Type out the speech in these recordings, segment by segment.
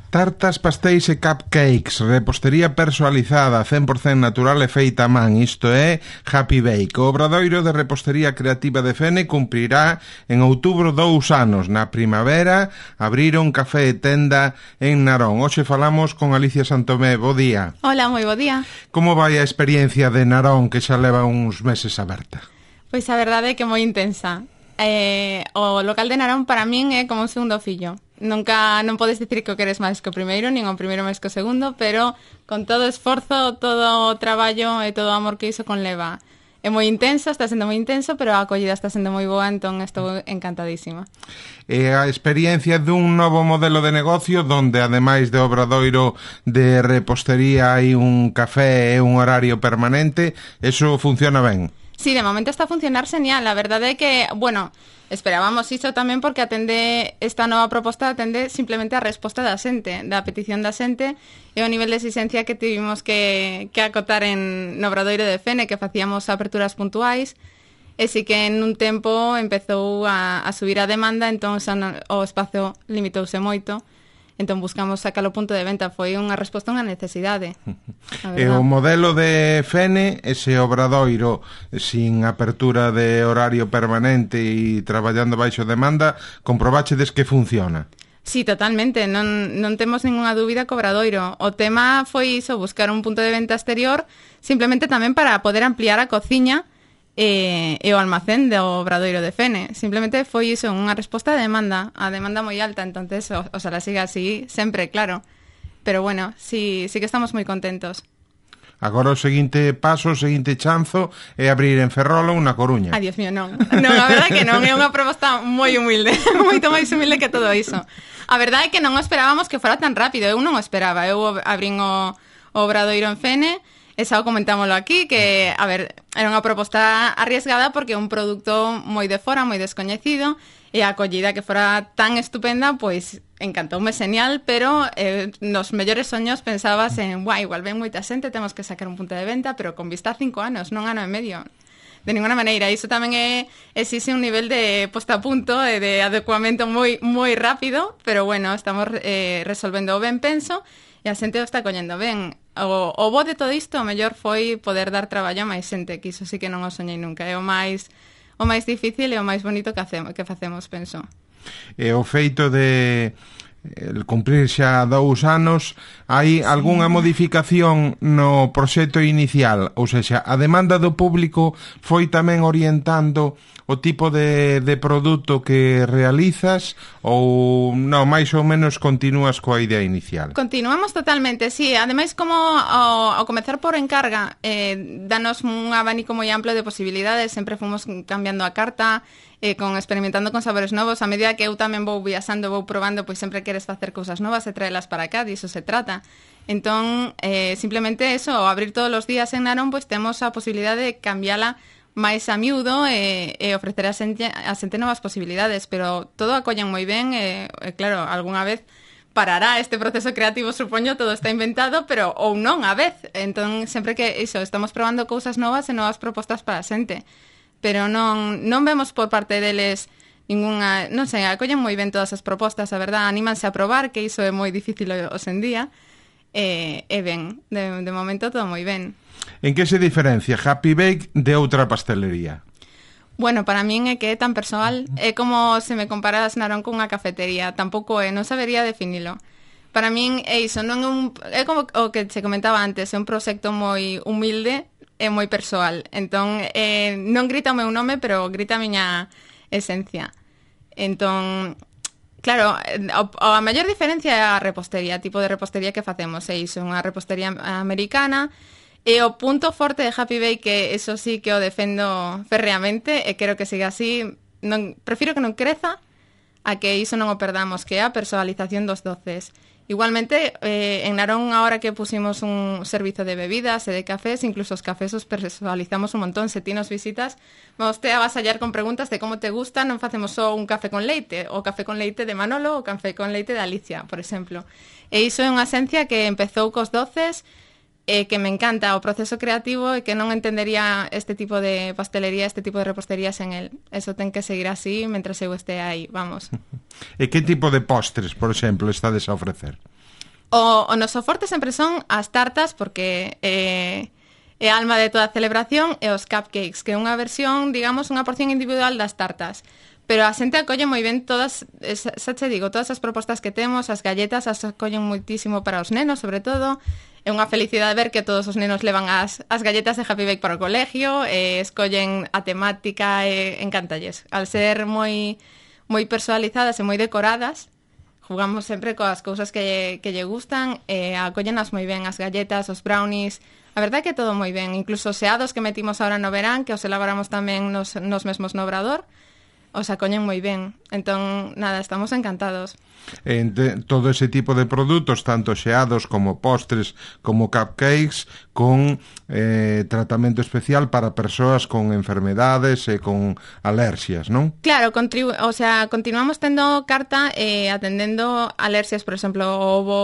Tartas, pastéis e cupcakes, repostería personalizada, 100% natural e feita a man, isto é Happy Bake. O obradoiro de repostería creativa de Fene cumprirá en outubro 2 anos. Na primavera abriron café e tenda en Narón. Hoxe falamos con Alicia Santomé. Bo día. Hola, moi bo día. Como vai a experiencia de Narón, que xa leva uns meses aberta? Pois a verdade é que moi intensa. O local de Narón para min é como un segundo fillo. Nunca non podes dicir que o queres máis que o primeiro, nin o primeiro máis que o segundo, pero con todo o esforzo, todo o traballo e todo o amor que iso conleva. É moi intenso, está sendo moi intenso, pero a acollida está sendo moi boa, entón estou encantadísima. E a experiencia dun novo modelo de negocio donde, ademais de obradoiro de repostería, hai un café e un horario permanente, eso funciona ben? Sí, de momento está a funcionar genial. A verdade é que, bueno, esperábamos iso tamén porque esta nova proposta atende simplemente a resposta da xente, da petición da xente e o nivel de exigencia que tivimos que acotar no obradoiro de Fene, que facíamos aperturas puntuais, e si que en un tempo empezou a subir a demanda, entón xa o espazo limitouse moito. Entón buscamos sacar o punto de venta. Foi unha resposta a unha necesidade. E o modelo de Fene, ese obradoiro sin apertura de horario permanente e traballando baixo demanda, comprobachedes que funciona? Sí, totalmente. Non temos ninguna dúbida co obradoiro. O tema foi iso, buscar un punto de venta exterior, simplemente tamén para poder ampliar a cociña e o almacén do obradoiro de Fene. Simplemente foi iso, unha resposta a demanda moi alta, entonces oxalá siga así sempre, claro. Pero bueno, sí que estamos moi contentos. Agora o seguinte paso, o seguinte chanzo é abrir en Ferrol ou na Coruña. Ai, Dios mío, non. Non, a verdade é que non, é unha proposta moi humilde, moito máis humilde que todo iso. A verdade é que non esperábamos que fora tan rápido, eu non o esperaba. Eu abrín o obradoiro en Fene, e xa o comentámoslo aquí, que, a ver, era unha proposta arriesgada porque é un produto moi de fora, moi descoñecido, e a acollida que fora tan estupenda, pois encantoume genial, pero nos mellores soños pensabas en, igual ven moita xente, temos que sacar un punto de venta, pero con vista a 5 anos, non ano e medio. De ninguna maneira, iso tamén existe un nivel de posta a punto e de adecuamento moi moi rápido, pero bueno, estamos resolvendo ben, penso, e a xente o está collendo ben. O bo de todo isto, o mellor foi poder dar traballo a máis xente, que iso sí que non o soñei nunca. É o máis difícil e o máis bonito que facemos, penso. E o feito de cumprir xa 2 anos, hai algunha modificación no proxecto inicial? Ou seja, a demanda do público foi tamén orientando o tipo de produto que realizas ou non, máis ou menos continúas coa idea inicial? Continuamos totalmente, sí. Ademais, como ao comezar por encarga, danos un abanico moi amplo de posibilidades, sempre fomos cambiando a carta, experimentando con sabores novos. A medida que eu tamén vou viaxando, vou probando, pois sempre queres facer cousas novas e traelas para cá, diso se trata. Entón, simplemente eso, ao abrir todos os días en Narón, pois temos a posibilidade de cambiala máis a miúdo e ofrecer a xente novas posibilidades, pero todo acollen moi ben e claro, algunha vez parará este proceso creativo, supoño, todo está inventado, pero ou non a vez. Entón, sempre que iso, estamos probando cousas novas e novas propostas para a xente, pero non vemos por parte deles ninguna, non sei, acollen moi ben todas as propostas, a verdad, anímanse a probar, que iso é moi difícil hoxe en día, e ben, de momento todo moi ben. En que se diferencia Happy Bake de outra pastelería? Bueno, para min é que é tan persoal, é como se me comparas Narón con unha cafetería, tampouco non sabería definilo. Para min é iso, non é como o que se comentaba antes, é un proxecto moi humilde e moi persoal. Entón, non grita o meu nome, pero grita a miña esencia. Entón, claro, a maior diferencia é a repostería, tipo de repostería que facemos, é iso, unha repostería americana. E o punto forte de Happy Bake, que eso sí que o defendo ferreamente, e quero que siga así, prefiro que non creza a que iso non o perdamos, que é a personalización dos doces. Igualmente, en Narón, ahora que pusimos un servizo de bebidas e de cafés, incluso os cafés os personalizamos un montón. Se ti nos visitas, vamos te avasallar con preguntas de como te gusta, non facemos só un café con leite, o café con leite de Manolo, o café con leite de Alicia, por exemplo. E iso é unha esencia que empezou cos doces, que me encanta o proceso creativo e que non entendería este tipo de pastelería, este tipo de repostería sen el. Eso ten que seguir así mentras eu este aí, vamos. E que tipo de postres, por exemplo, estades a ofrecer? O noso forte sempre son as tartas, porque é a alma de toda a celebración, e os cupcakes, que é unha versión, digamos, unha porción individual das tartas. Pero a xente acolle moi ben todas, xa che digo, todas as propostas que temos, as galletas as acollen moitísimo para os nenos, sobre todo. É unha felicidade ver que todos os nenos levan as galletas de Happy Bake para o colegio, escollen a temática, encantalles. Al ser moi personalizadas e moi decoradas, jugamos sempre coas cousas que lle gustan, acollenas moi ben as galletas, os brownies. A verdade é que todo moi ben, incluso os xeados que metimos agora no verán, que os elaboramos tamén nos mesmos no Obrador, os acollen moi ben. Entón, nada, estamos encantados. Todo ese tipo de produtos, tanto xeados como postres, como cupcakes, con tratamento especial para persoas con enfermedades e con alerxias, non? Claro, continuamos tendo carta atendendo alerxias, por exemplo, o ovo,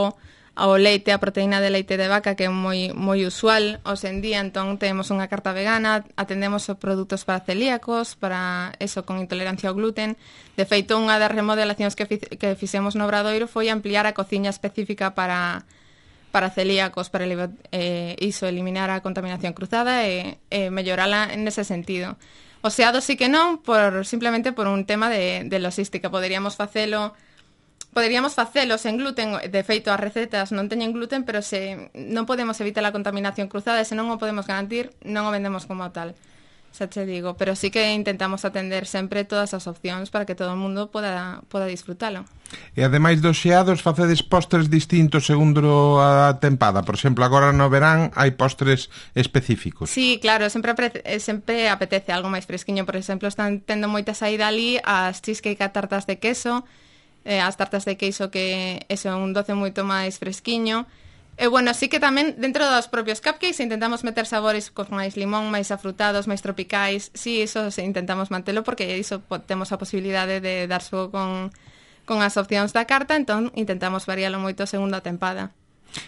ao leite, a proteína de leite de vaca, que é moi usual hoxe en día. Entón temos unha carta vegana, atendemos os produtos para celíacos, para eso, con intolerancia ao gluten. De feito, unha das remodelacións que fixemos no Obradoiro foi ampliar a cociña específica para celíacos, para eliminar a contaminación cruzada e mellorala nese sentido. O xeado sí que non, simplemente por un tema de logística. Poderíamos facelos en gluten. De feito, as recetas non teñen gluten, pero se non podemos evitar a contaminación cruzada, e se non o podemos garantir, non o vendemos como tal. Xa che digo, pero sí que intentamos atender sempre todas as opcións para que todo o mundo poda disfrutalo. E ademais dos xeados, facedes postres distintos segundo a tempada? Por exemplo, agora no verán hai postres específicos. Sí, claro, sempre apetece algo máis fresquiño. Por exemplo, están tendo moita saída ali as cheesecake a tartas de queso, as tartas de queixo, que é un doce moito máis fresquiño. E bueno, sí que tamén dentro dos propios cupcakes intentamos meter sabores con máis limón, máis afrutados, máis tropicais. Sí, iso intentamos mantelo, porque iso temos a posibilidade de dar xogo con as opcións da carta, entón intentamos varialo moito segundo a tempada.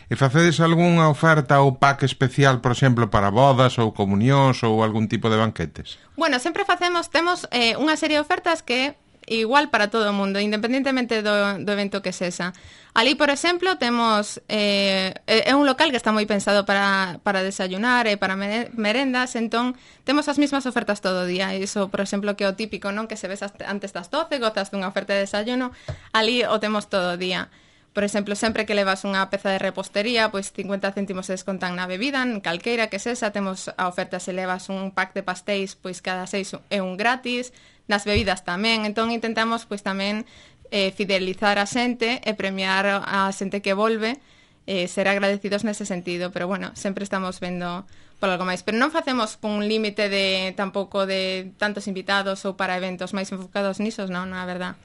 E facedes algunha oferta ou pack especial, por exemplo, para bodas ou comunións ou algún tipo de banquetes? Bueno, sempre temos unha serie de ofertas que igual para todo o mundo, independentemente do evento que sexa. Ali, por exemplo, temos é un local que está moi pensado para desayunar e para merendas, entón temos as mesmas ofertas todo o día. Iso, por exemplo, que é o típico, non? Que se ves antes das 12, gozas dunha oferta de desayuno, ali o temos todo o día. Por exemplo, sempre que levas unha peza de repostería, pois 50 céntimos se descontan na bebida, en calqueira que sexa. Temos a oferta se levas un pack de pastéis, pois cada 6 é un gratis. Nas bebidas tamén. Entón intentamos pois tamén fidelizar a xente e premiar a xente que volve, ser agradecidos nese sentido. Pero bueno, sempre estamos vendo por algo máis. Pero non facemos con un límite tampouco de tantos invitados ou para eventos máis enfocados nisos, non, na verdad.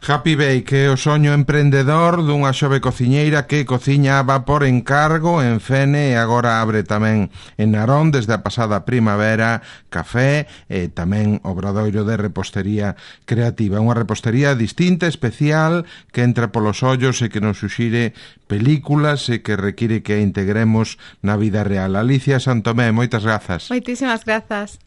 Happy Bake é o soño emprendedor dunha xove cociñeira que cociña a vapor en Cargo, en Fene, e agora abre tamén en Narón desde a pasada primavera café e tamén Obradoiro de repostería creativa. Unha repostería distinta, especial, que entra polos ollos e que nos suxire películas e que require que a integremos na vida real. Alicia Santomé, moitas grazas. Moitísimas grazas.